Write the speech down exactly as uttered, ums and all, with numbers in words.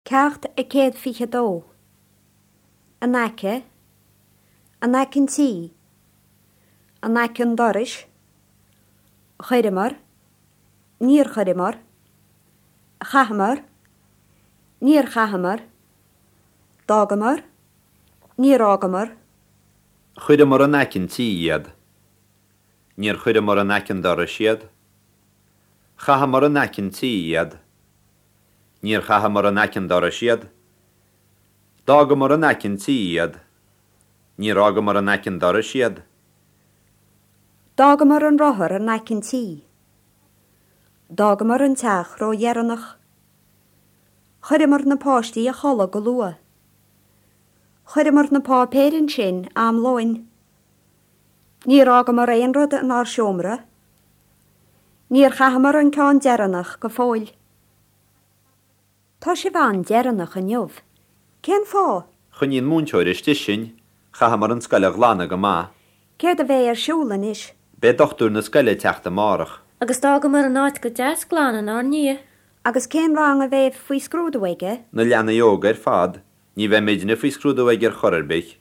Ceacht a céad fiche dó. In aice, in aice an tí, in aice an dorais, chuireamar, níor chuireamar, chaitheamar, níor chaitheamar, d'fhágamar, níor fhágamar, Chuireamar in aice an tí iad. Níor chuireamar in aice an dorais iad. Chaitheamar in aice an tí iad. Níor chaitheamar in aice an dorais iad. D'fhágamar in aice an tí iad. Níor fhágamar in aice an dorais iad. D'fhágamar an rothar in aice an tí. D'fhágamar an teach ródheireanach. Chuireamar na páistí a chodladh go luath. Chuireamar na páipéir ansin am lóin. Níor fhágamar aon rud inár seomra. Níor chaitheamar an ceann deireanach go fóill. Tá sibh an-deireanach inniu. Cén fáth? Choinnigh an múinteoir istigh sinn, chaitheamar an scoil a ghlanadh go maith. Céard a bheidh ar siúl anois? Beidh dochtúir na scoile ag teacht amárach. Agus d'fhágamar an áit go deas glan inár ndiaidh. Agus cén rang a bheidh faoi scrúdú aige? Na leanaí óga ar fad, ní bheidh muidne faoi scrúdú aige ar chor ar bith.